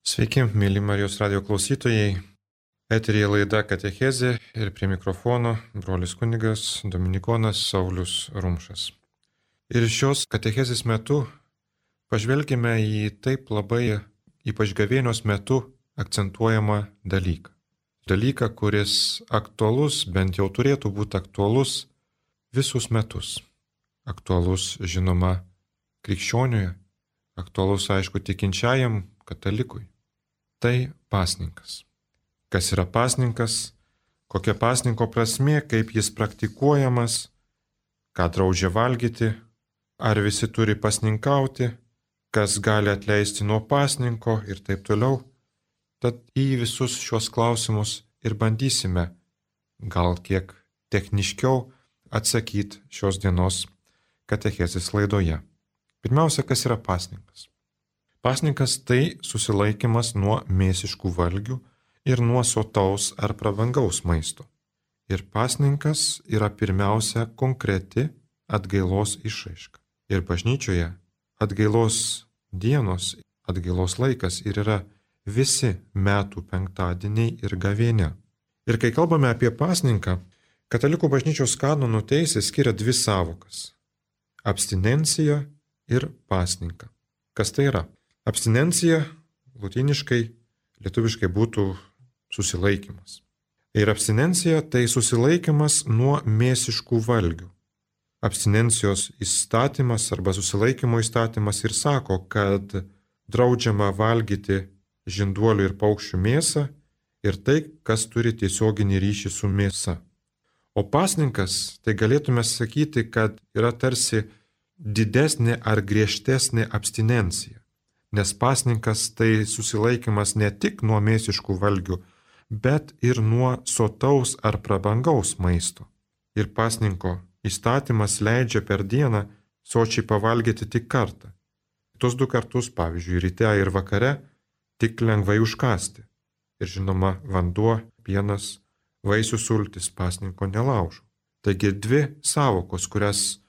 Sveiki, mėly Marijos radio klausytojai. Eteryje laida Katechezė ir prie mikrofono brolis kunigas Dominikonas Saulius Rumšas. Ir šios katechezės metu pažvelgime į taip labai, ypač gavėnios metu, akcentuojamą dalyką. Dalyką, kuris aktualus, bent jau turėtų būti aktualus visus metus. Aktualus, žinoma, krikščioniui, aktualus, aišku, tikinčiajam katalikui. Tai pasninkas. Kas yra pasninkas, kokia pasninko prasmė, kaip jis praktikuojamas, ką draudžia valgyti, ar visi turi pasninkauti, kas gali atleisti nuo pasninko ir taip toliau. Tad į visus šios klausimus ir bandysime gal kiek techniškiau atsakyti šios dienos katechezės laidoje. Pirmiausia, kas yra pasninkas? Pasninkas tai susilaikymas nuo mėsiškų valgių ir nuo sotaus ar prabangaus maisto. Ir pasninkas yra pirmiausia konkreti atgailos išraiška. Ir bažnyčioje atgailos dienos, atgailos laikas ir yra visi metų penktadieniai ir gavėnia. Ir kai kalbame apie pasninką, katalikų bažnyčios kanonų teisė skiria dvi savokas – abstinencija ir pasninką. Kas tai yra? Abstinencija lotyniškai, lietuviškai būtų susilaikymas. Ir abstinencija tai susilaikymas nuo mėsiškų valgių. Abstinencijos įstatymas arba susilaikymo įstatymas ir sako, kad draudžiama valgyti žinduolių ir paukščių mėsą ir tai, kas turi tiesioginį ryšį su mėsa. O pasninkas, tai galėtume sakyti, kad yra tarsi didesnė ar griežtesnė abstinencija. Nes pasninkas tai susilaikymas ne tik nuo mėsiškų valgių, bet ir nuo sotaus ar prabangaus maisto. Ir pasninko įstatymas leidžia per dieną sočiai pavalgyti tik kartą. Tos 2 kartus, pavyzdžiui, ryte ir vakare, tik lengvai užkąsti. Ir žinoma, vanduo, pienas, vaisių sultis pasninko nelaužo. Taigi 2 sąvokos, kurias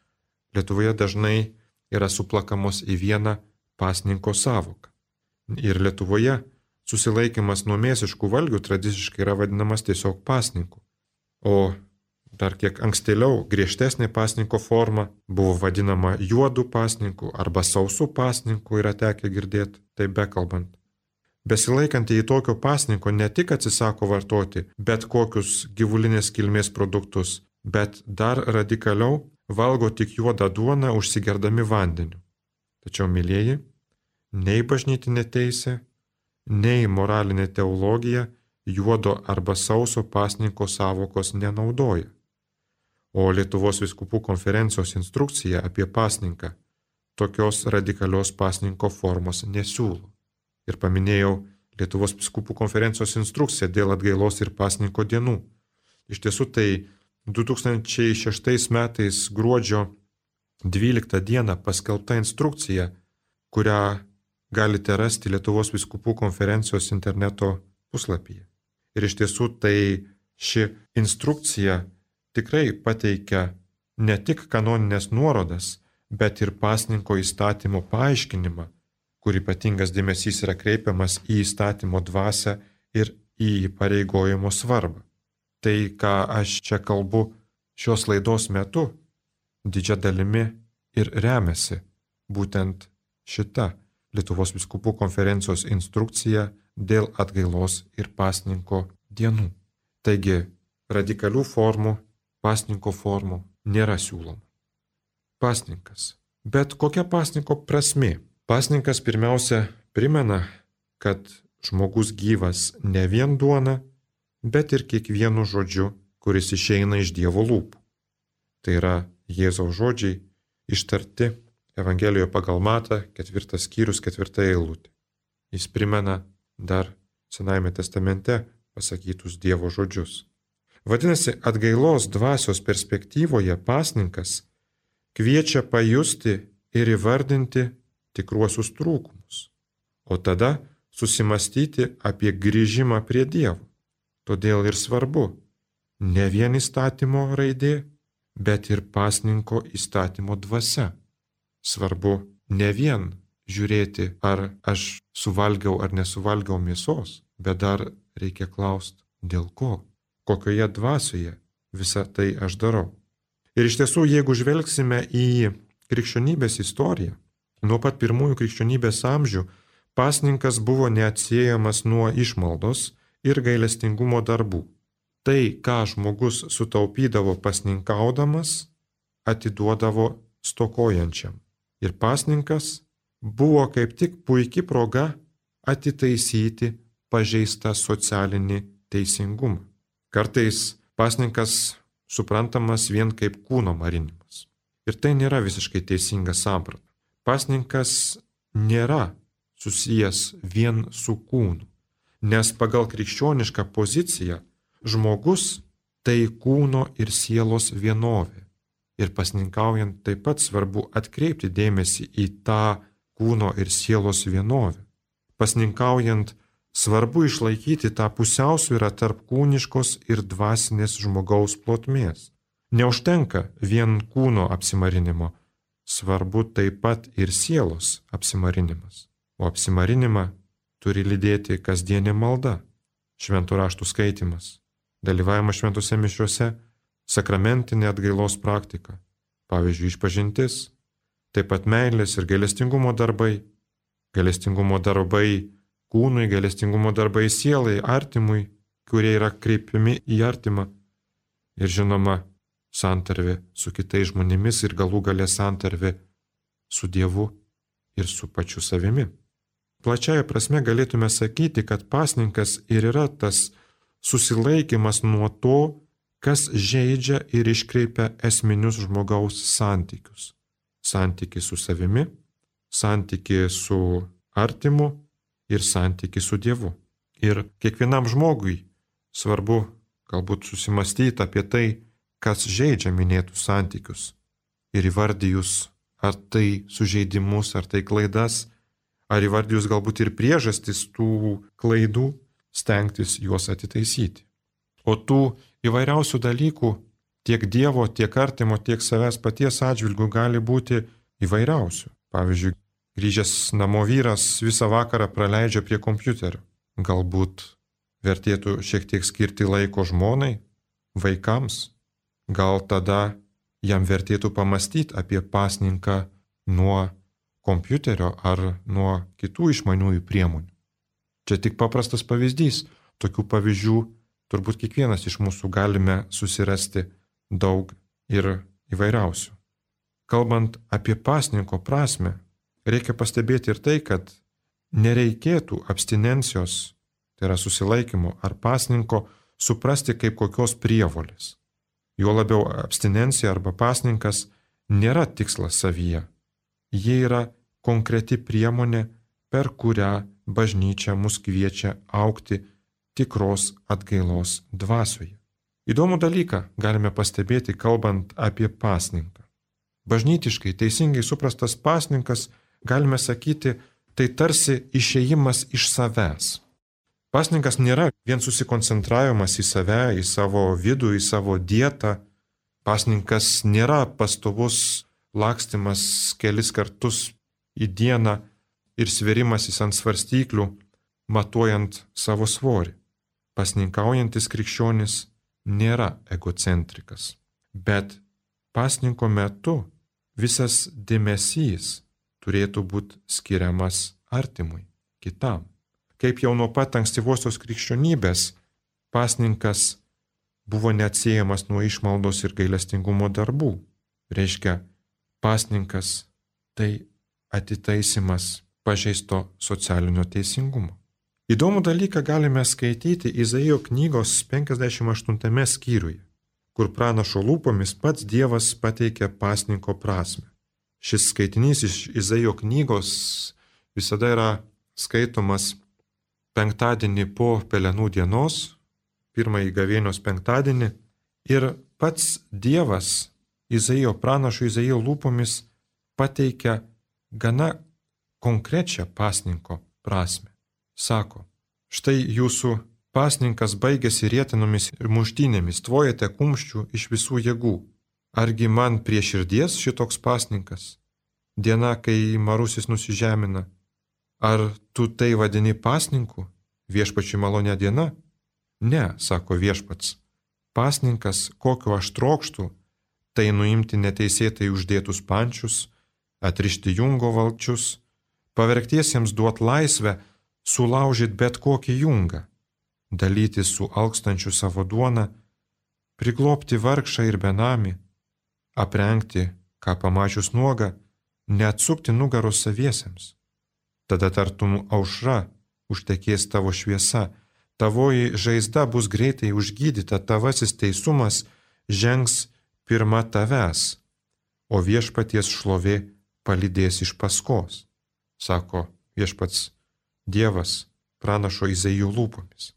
Lietuvoje dažnai yra suplakamos į vieną pasninko sąvoką. Ir Lietuvoje susilaikymas nuo mėsiškų valgių tradiciškai yra vadinamas tiesiog pasninku. O dar kiek ankstėliau griežtesnė pasninko forma buvo vadinama juodu pasninku arba sausu pasninku, yra tekę girdėti, tai bekalbant. Besilaikantieji tokio pasninko ne tik atsisako vartoti bet kokius gyvulinės kilmės produktus, bet dar radikaliau valgo tik juodą duoną užsigerdami vandeniu. Tačiau, mylieji, nei bažnytinė teisė, nei moralinė teologija juodo arba sauso pasninko sąvokos nenaudoja. O Lietuvos vyskupų konferencijos instrukcija apie pasninką tokios radikalios pasninko formos nesiūlo. Ir paminėjau Lietuvos vyskupų konferencijos instrukciją dėl atgailos ir pasninko dienų. Iš tiesų tai 2006 metais gruodžio 12 dieną paskelbta instrukcija, kurią galite rasti Lietuvos vyskupų konferencijos interneto puslapyje. Ir iš tiesų tai ši instrukcija tikrai pateikia ne tik kanoninės nuorodas, bet ir pasninko įstatymo paaiškinimą, kur ypatingas dėmesys yra kreipiamas į įstatymo dvasią ir į įpareigojimo svarbą. Tai, ką aš čia kalbu šios laidos metu, didžia dalimi ir remiasi būtent šita Lietuvos vyskupų konferencijos instrukcija dėl atgailos ir pasninko dienų. Taigi, radikalių formų, pasninko formų nėra siūloma. Pasninkas. Bet kokia pasninko prasmė? Pasninkas pirmiausia primena, kad žmogus gyvas ne vien duona, bet ir kiekvienu žodžiu, kuris išeina iš Dievo lūpų. Tai yra Jėzaus žodžiai ištarti Evangelijoje pagal Matą, 4 skyrius, 4 eilutė. Jis primena dar Senajame testamente pasakytus Dievo žodžius. Vadinasi, atgailos dvasios perspektyvoje pasninkas kviečia pajusti ir įvardinti tikruosius trūkumus, o tada susimastyti apie grįžimą prie Dievo. Todėl ir svarbu ne vien įstatymo raidė, bet ir pasninko įstatymo dvasia. Svarbu ne vien žiūrėti, ar aš suvalgiau ar nesuvalgiau mėsos, bet dar reikia klausti, dėl ko, kokioje dvasioje visą tai aš darau. Ir iš tiesų, jeigu žvelgsime į krikščionybės istoriją, nuo pat pirmųjų krikščionybės amžių pasninkas buvo neatsiejamas nuo išmaldos ir gailestingumo darbų. Tai, ką žmogus sutaupydavo pasninkaudamas, atiduodavo stokojančiam. Ir pasninkas buvo kaip tik puikia proga atitaisyti pažeistą socialinį teisingumą. Kartais pasninkas suprantamas vien kaip kūno marinimas. Ir tai nėra visiškai teisinga samprata. Pasninkas nėra susijęs vien su kūnu, nes pagal krikščionišką poziciją žmogus tai kūno ir sielos vienovė. Ir pasninkaujant taip pat svarbu atkreipti dėmesį į tą kūno ir sielos vienovę. Pasninkaujant svarbu išlaikyti tą pusiausvyrą tarp kūniškos ir dvasinės žmogaus plotmės. Neužtenka vien kūno apsimarinimo, svarbu taip pat ir sielos apsimarinimas. O apsimarinimą turi lydėti kasdienė malda, šventų raštų skaitimas, dalyvavimas šventose mišiuose, sakramentinė atgailos praktika, pavyzdžiui, išpažintis, taip pat meilės ir gailestingumo darbai kūnui, gailestingumo darbai sielai, artimui, kurie yra kreipiami į artimą, ir žinoma, santarvė su kitais žmonėmis ir galų gale santarvė su Dievu ir su pačiu savimi. Plačiaja prasme galėtume sakyti, kad pasninkas ir yra tas susilaikymas nuo to, kas žeidžia ir iškreipia esminius žmogaus santykius. Santykį su savimi, santykį su artimu ir santykį su Dievu. Ir kiekvienam žmogui svarbu galbūt susimastyti apie tai, kas žeidžia minėtus santykius. Ir įvardijus, ar tai sužeidimus, ar tai klaidas, ar įvardijus galbūt ir priežastis tų klaidų, stengtis juos atitaisyti. O tų įvairiausių dalykų tiek Dievo, tiek artimo, tiek savęs paties atžvilgių gali būti įvairiausių. Pavyzdžiui, grįžęs namo vyras visą vakarą praleidžia prie kompiuterio. Galbūt vertėtų šiek tiek skirti laiko žmonai, vaikams. Gal tada jam vertėtų pamastyti apie pasninką nuo kompiuterio ar nuo kitų išmaniųjų priemonių. Čia tik paprastas pavyzdys. Tokių pavyzdžių turbūt kiekvienas iš mūsų galime susirasti daug ir įvairiausių. Kalbant apie pasninko prasme, reikia pastebėti ir tai, kad nereikėtų abstinencijos, tai yra susilaikymo ar pasninko, suprasti kaip kokios prievolės. Juo labiau abstinencija arba pasninkas nėra tikslas savyje. Jie yra konkreti priemonė, per kurią bažnyčia mus kviečia augti tikros atgailos dvasioje. Įdomų dalyką galime pastebėti, kalbant apie pasninką. Bažnytiškai teisingai suprastas pasninkas, galime sakyti, tai tarsi išėjimas iš savęs. Pasninkas nėra vien susikoncentravimas į save, į savo vidų, į savo dietą. Pasninkas nėra pastovus lakstymas kelis kartus į dieną ir sverimasis ant svarstyklių, matuojant savo svorį. Pasninkaujantis krikščionis nėra egocentrikas, bet pasninko metu visas dėmesys turėtų būti skiriamas artimui, kitam. Kaip jau nuo pat ankstyvosios krikščionybės, pasninkas buvo neatsiejamas nuo išmaldos ir gailestingumo darbų. Reiškia, pasninkas tai atitaisimas pažeisto socialinio teisingumo. Įdomų dalyką galime skaityti Izaijo knygos 58 skyriuje, kur pranašo lūpomis pats Dievas pateikia pasninko prasme. Šis skaitinys iš Izaijo knygos visada yra skaitomas penktadienį po Pelenų dienos, pirmąjį gavėnios penktadienį, ir pats Dievas Izaijo pranašo Izaijo lūpomis pateikia gana konkrečią pasninko prasme. Sako, štai jūsų pasninkas baigėsi rietinomis ir muštynėmis, tvojate kumščių iš visų jėgų. Argi man prie širdies šitoks pasninkas? diena, kai marusis nusižemina? Ar tu tai vadini pasninku, viešpačiui malonė diena? Ne, sako viešpats. Pasninkas, kokio aš trokštų, tai nuimti neteisėtai uždėtus pančius, atrišti jungo valčius, pavergtiesiems duot laisvę, sulaužyti bet kokį jungą, dalyti su alkstančiu savo duoną, priglobti vargšą ir benamį, aprengti, ką pamačius nuogą, neatsukti nugaros saviesiems. Tada tartum aušra užtekės tavo šviesa, tavoji žaizda bus greitai užgydyta, tavasis teisumas žengs pirma tavęs, o viešpaties šlovė palydės iš paskos, sako viešpats Dievas pranašo Izaijo lūpomis.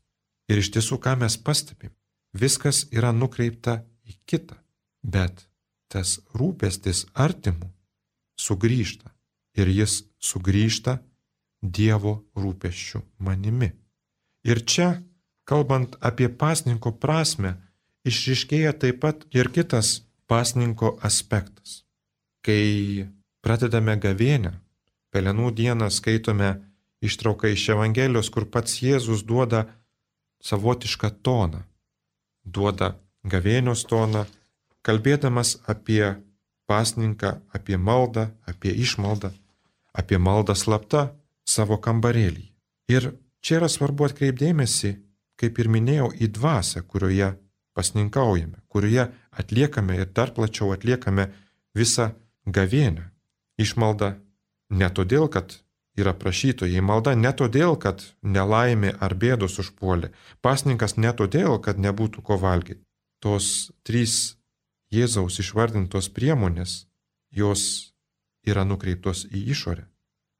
Ir iš tiesų, ką mes pastebim, viskas yra nukreipta į kitą, bet tas rūpestis artimu sugrįžta ir jis sugrįžta Dievo rūpesčiu manimi. Ir čia, kalbant apie pasninko prasmę, išryškėja taip pat ir kitas pasninko aspektas. Kai pradedame gavėnią, Pelenų dieną skaitome ištrauką iš Evangelijos, kur pats Jėzus duoda savotišką toną, duoda gavėnios toną, kalbėdamas apie pasninką, apie maldą, apie išmaldą, apie maldą slapta savo kambarėlį. Ir čia yra svarbu atkreipdėmėsi, kaip ir minėjau, į dvasią, kurioje pasninkaujame, kurioje atliekame ir dar plačiau atliekame visą gavėnią. Išmalda ne todėl, kad yra prašytojai, malda ne todėl, kad nelaimė ar bėdos užpuolė, pasninkas ne todėl, kad nebūtų ko valgyti. Tos trys Jėzaus išvardintos priemonės, jos yra nukreiptos į išorę,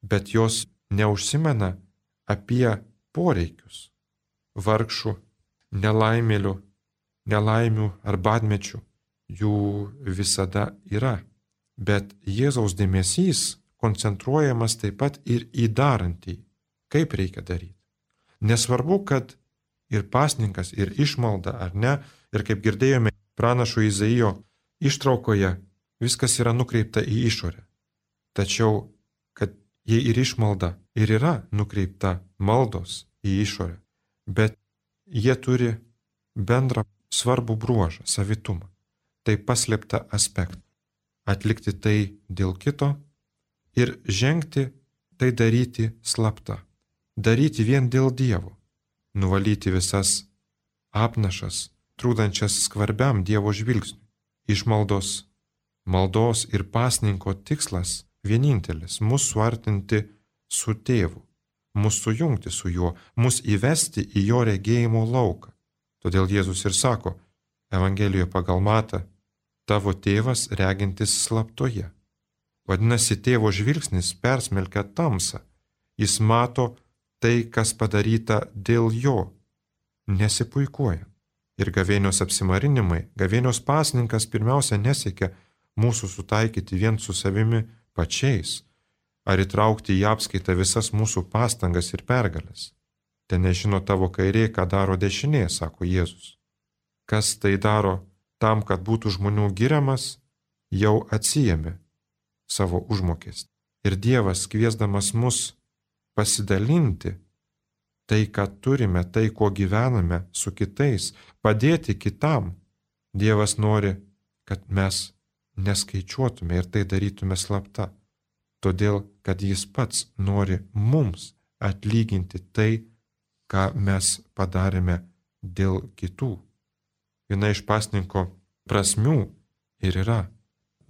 bet jos neužsimena apie poreikius vargšų, nelaimių ar badmečių. Jų visada yra, bet Jėzaus dėmesys koncentruojamas taip pat ir į darantį, kaip reikia daryti. Nesvarbu, kad ir pasninkas, ir išmalda ar ne, ir kaip girdėjome pranašo Izaijo ištraukoje, viskas yra nukreipta į išorę. Tačiau, kad jei ir išmalda ir yra nukreipta maldos į išorę, bet jie turi bendrą svarbų bruožą, savitumą, tai paslėptą aspektą. Atlikti tai dėl kito ir žengti tai daryti slapta. Daryti vien dėl Dievo. Nuvalyti visas apnašas, trūdančias skvarbiam Dievo žvilgsniui. Išmaldos, maldos ir pasninko tikslas vienintelis - mus suartinti su Tėvu, mus sujungti su Juo, mus įvesti į Jo regėjimo lauką. Todėl Jėzus ir sako Evangelijoje pagal Matą: tavo tėvas regintis slaptoje. Vadinasi, tėvo žvilgsnis persmelkia tamsą. Jis mato tai, kas padaryta dėl jo, nesipuikuoja. Ir gavėnios apsimarinimai, gavėnios pasninkas pirmiausia nesiekia mūsų sutaikyti vien su savimi pačiais, ar įtraukti į apskaitą visas mūsų pastangas ir pergalės. Ten nežino tavo kairė, ką daro dešinė, sako Jėzus. Kas tai daro tam, kad būtų žmonių giriamas, jau atsijėmė savo užmokestį. Ir Dievas, kviesdamas mus pasidalinti tai, ką turime, tai, kuo gyvename su kitais, padėti kitam, Dievas nori, kad mes neskaičiuotume ir tai darytume slapta. Todėl, kad Jis pats nori mums atlyginti tai, ką mes padarėme dėl kitų. Viena iš pasninko prasmių ir yra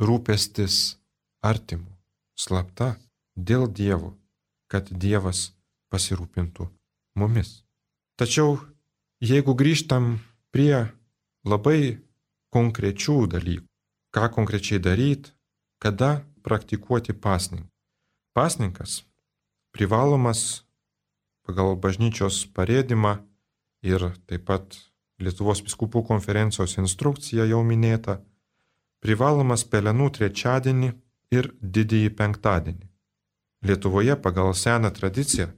rūpestis artimu, slapta, dėl Dievo, kad Dievas pasirūpintų mumis. Tačiau, jeigu grįžtam prie labai konkrečių dalykų, ką konkrečiai daryti, kada praktikuoti pasninką. Pasninkas privalomas pagal bažnyčios parėdimą ir taip pat Lietuvos vyskupų konferencijos instrukcija jau minėta, privalomas Pelenų trečiadienį ir didįjį penktadienį. Lietuvoje pagal seną tradiciją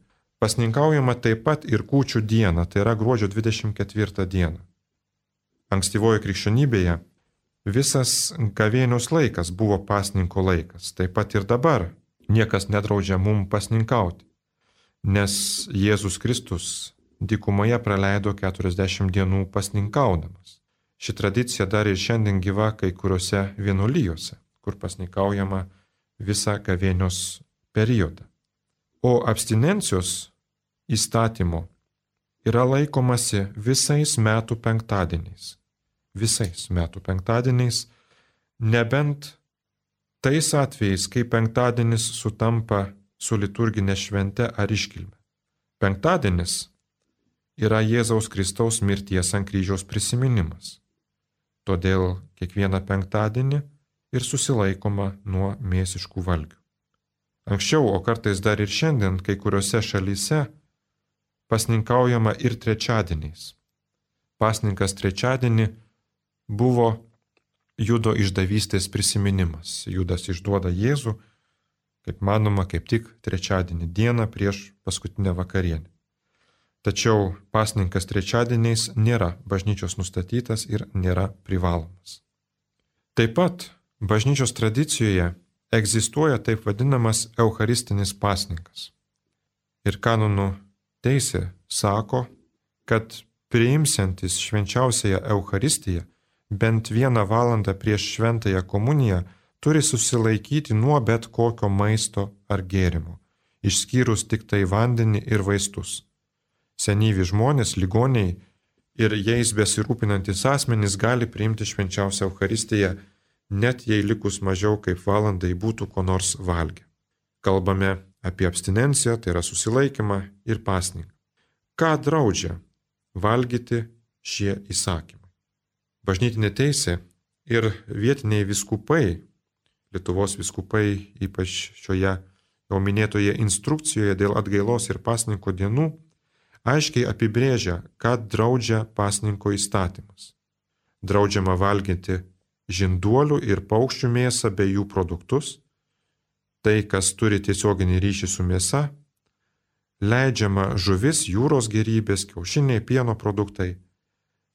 pasninkaujama taip pat ir kūčių dieną, tai yra gruodžio 24 dieną. Ankstyvoje krikščionybėje Visas gavėnios laikas buvo pasninko laikas, taip pat ir dabar niekas nedraudžia mum pasninkauti, nes Jėzus Kristus dykumoje praleido 40 dienų pasninkaudamas. Ši tradicija dar ir šiandien gyva kai kuriuose vienuolijose, kur pasninkaujama visą gavėnios periodą. O abstinencijos įstatymo yra laikomasi visais metų penktadieniais. Visais metų penktadieniais, nebent tais atvejais, kai penktadienis sutampa su liturginė švente ar iškilme. Penktadienis yra Jėzaus Kristaus mirties ant kryžiaus prisiminimas. Todėl kiekvieną penktadienį ir susilaikoma nuo mėsiškų valgių. Anksčiau, o kartais dar ir šiandien, kai kuriuose šalyse pasninkaujama ir trečiadieniais. Pasninkas trečiadienį buvo Judo išdavystės prisiminimas. Judas išduoda Jėzų, kaip manoma, kaip tik trečiadienį dieną prieš paskutinę vakarienę. Tačiau pasninkas trečiadieniais nėra bažnyčios nustatytas ir nėra privalomas. Taip pat bažnyčios tradicijoje egzistuoja taip vadinamas eucharistinis pasninkas. Ir kanonų teisė sako, kad priimsiantis švenčiausiąją Eucharistiją bent 1 valandą prieš šventąją komuniją turi susilaikyti nuo bet kokio maisto ar gėrimo, išskyrus tik tai vandenį ir vaistus. Senyvi žmonės, ligoniai ir jais besirūpinantis asmenys gali priimti švenčiausią Eucharistiją, net jei likus mažiau kaip valandai būtų ko nors valgę. Kalbame apie abstinenciją, tai yra susilaikymą ir pasninką. Ką draudžia valgyti šie įsakymai? Bažnytinė teisė ir vietiniai vyskupai, Lietuvos vyskupai, ypač šioje jau minėtoje instrukcijoje dėl atgailos ir pasninko dienų, aiškiai apibrėžia, ką draudžia pasninko įstatymas. Draudžiama valgyti žinduolių ir paukščių mėsą bei jų produktus, tai, kas turi tiesioginį ryšį su mėsa, leidžiama žuvis, jūros gėrybės, kiaušiniai, pieno produktai.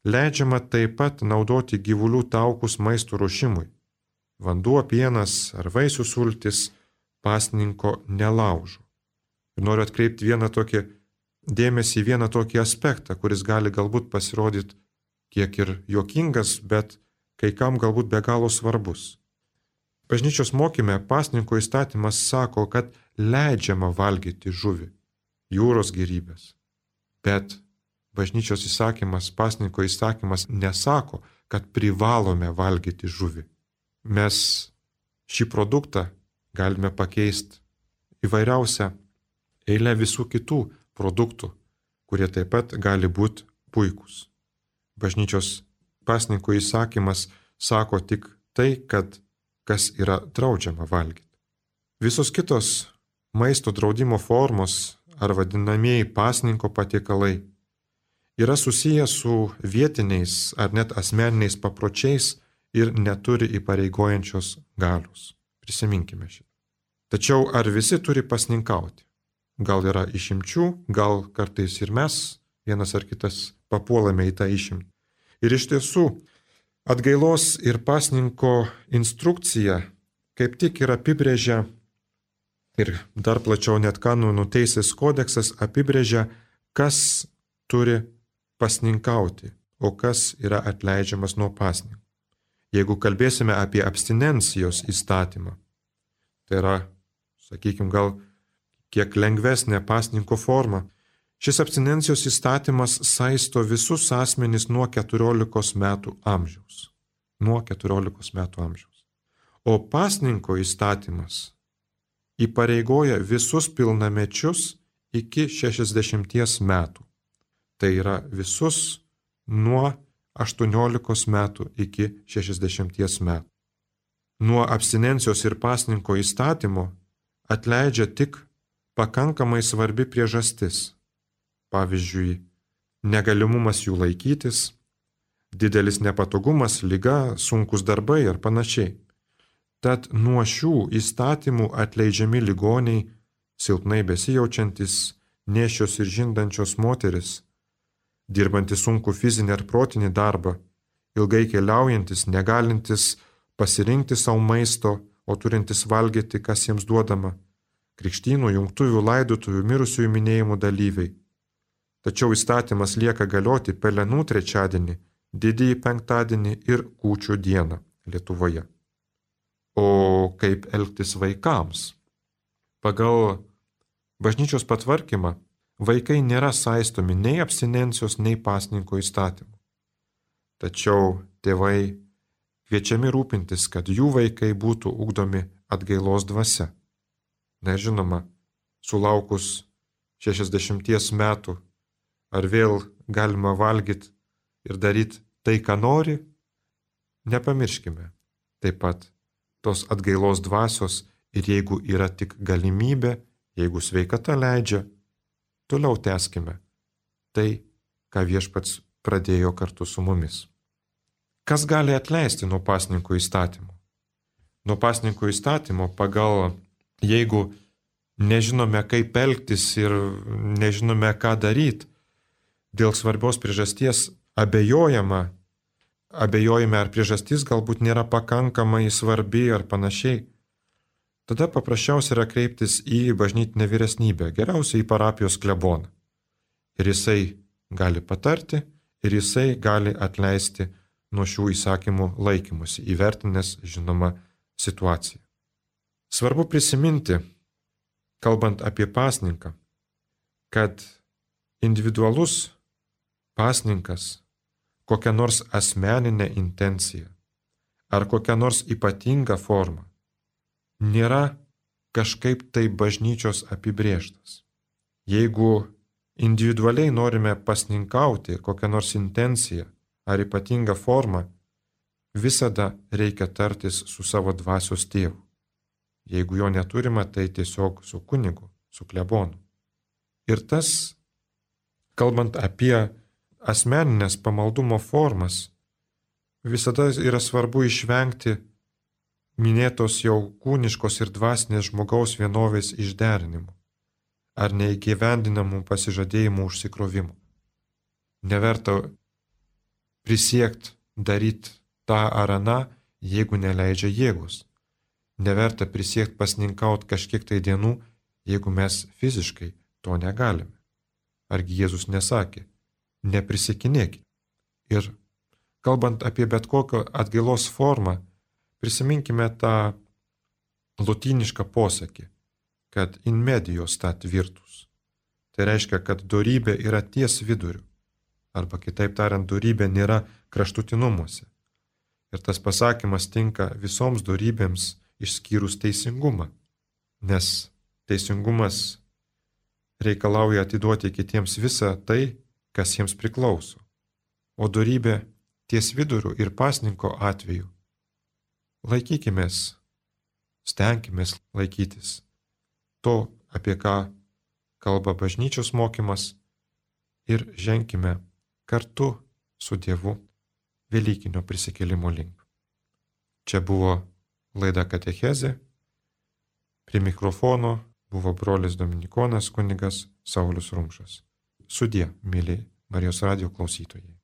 Leidžiama taip pat naudoti gyvulių taukus maisto ruošimui. Vanduo, pienas ar vaisių sultis pasninko nelaužo. Ir noriu atkreipti dėmesį į vieną tokį aspektą, kuris gali galbūt pasirodyti kiek ir juokingas, bet kai kam galbūt be galo svarbus. Bažnyčios mokyme pasninko įstatymas sako, kad leidžiama valgyti žuvį, jūros gėrybės. Bet bažnyčios įsakymas, pasninko įsakymas nesako, kad privalome valgyti žuvį. Mes šį produktą galime pakeisti įvairiausią eilę visų kitų produktų, kurie taip pat gali būti puikūs. Bažnyčios pasninko įsakymas sako tik tai, kad kas yra draudžiama valgyti. Visos kitos maisto draudimo formos ar vadinamieji pasninko patiekalai yra susiję su vietiniais ar net asmeniniais papročiais ir neturi įpareigojančios galios. Prisiminkime šitą. Tačiau ar visi turi pasninkauti? Gal yra išimčių, gal kartais ir mes, vienas ar kitas, papuolame į tą išimtį. Ir iš tiesų, atgailos ir pasninko instrukcija kaip tik ir apibrėžia, ir dar plačiau net kanonų teisės kodeksas apibrėžia, kas turi pasninkauti, o kas yra atleidžiamas nuo pasninko. Jeigu kalbėsime apie abstinencijos įstatymą, tai yra, sakykime, gal kiek lengvesnė pasninko forma, šis abstinencijos įstatymas saisto visus asmenys nuo 14 metų amžiaus. Nuo 14 metų amžiaus. O pasninko įstatymas įpareigoja visus pilnamečius iki 60 metų. Tai yra visus nuo 18 metų iki 60 metų. Nuo abstinencijos ir pasninko įstatymo atleidžia tik pakankamai svarbi priežastis. Pavyzdžiui, negalimumas jų laikytis, didelis nepatogumas, liga, sunkus darbai ar panašiai. Tad nuo šių įstatymų atleidžiami ligoniai, silpnai besijaučiantis, nėščios ir žindančios moteris, dirbanti sunku fizinį ar protinį darbą ilgai keliaujantis, negalintis pasirinkti savo maisto, o turintis valgyti, kas jiems duodama, krikštynų, jungtuvių, laidotuvių, mirusiųjų minėjimų dalyviai. Tačiau įstatymas lieka galioti Pelenų trečiadienį, Didįjį penktadienį ir Kūčių dieną Lietuvoje. O kaip elgtis vaikams? Pagal bažnyčios patvarkymą vaikai nėra saistomi nei abstinencijos, nei pasninko įstatymų. Tačiau tėvai kviečiami rūpintis, kad jų vaikai būtų ugdomi atgailos dvasia. Na ir žinoma, sulaukus 60 metų, ar vėl galima valgyti ir daryti tai, ką nori, nepamirškime taip pat tos atgailos dvasios ir jeigu yra tik galimybė, jeigu sveikata leidžia, toliau tęskime tai, ką Viešpats pradėjo kartu su mumis. Kas gali atleisti nuo pasninko įstatymo? Nuo pasninko įstatymo jeigu nežinome, kaip elgtis ir nežinome, ką daryti, dėl svarbios priežasties abejojame, ar priežastis galbūt nėra pakankamai svarbi ar panašiai, tada paprasčiausia yra kreiptis į bažnytinę vyresnybę, geriausiai į parapijos kleboną. Ir jisai gali patarti, ir jisai gali atleisti nuo šių įsakymų laikymusi, įvertinęs, žinoma, situaciją. Svarbu prisiminti, kalbant apie pasninką, kad individualus pasninkas, kokia nors asmeninė intencija ar kokia nors ypatinga forma nėra kažkaip tai bažnyčios apibrėžtas. Jeigu individualiai norime pasninkauti kokią nors intenciją ar ypatingą formą, visada reikia tartis su savo dvasios tėvu. Jeigu jo neturime, tai tiesiog su kunigu, su klebonu. Ir tas, kalbant apie asmeninės pamaldumo formas, visada yra svarbu išvengti minėtos jau kūniškos ir dvasinės žmogaus vienovės išderinimų ar neįgyvendinamų pasižadėjimų užsikrovimų. Neverta prisiekti daryti tą ar aną, jeigu neleidžia jėgos. Neverta prisiekti pasninkauti kažkiek tai dienų, jeigu mes fiziškai to negalime. Argi Jėzus nesakė, neprisiekinėkite. Ir kalbant apie bet kokią atgailos formą, prisiminkime tą lotynišką posakį, kad in medio stat virtus. Tai reiškia, kad dorybė yra ties viduriu, arba kitaip tariant, dorybė nėra kraštutinumuose. Ir tas pasakymas tinka visoms dorybėms išskyrus teisingumą, nes teisingumas reikalauja atiduoti kitiems visą tai, kas jiems priklauso. O dorybė ties viduriu ir pasninko atveju laikykimės, stenkimės laikytis to, apie ką kalba bažnyčios mokymas ir ženkime kartu su Dievu Velykinio prisikėlimo link. Čia buvo laida Katechezė, prie mikrofono buvo brolis Dominikonas kunigas Saulius Rumšas. Sudie, mėly Marijos radijo klausytojai.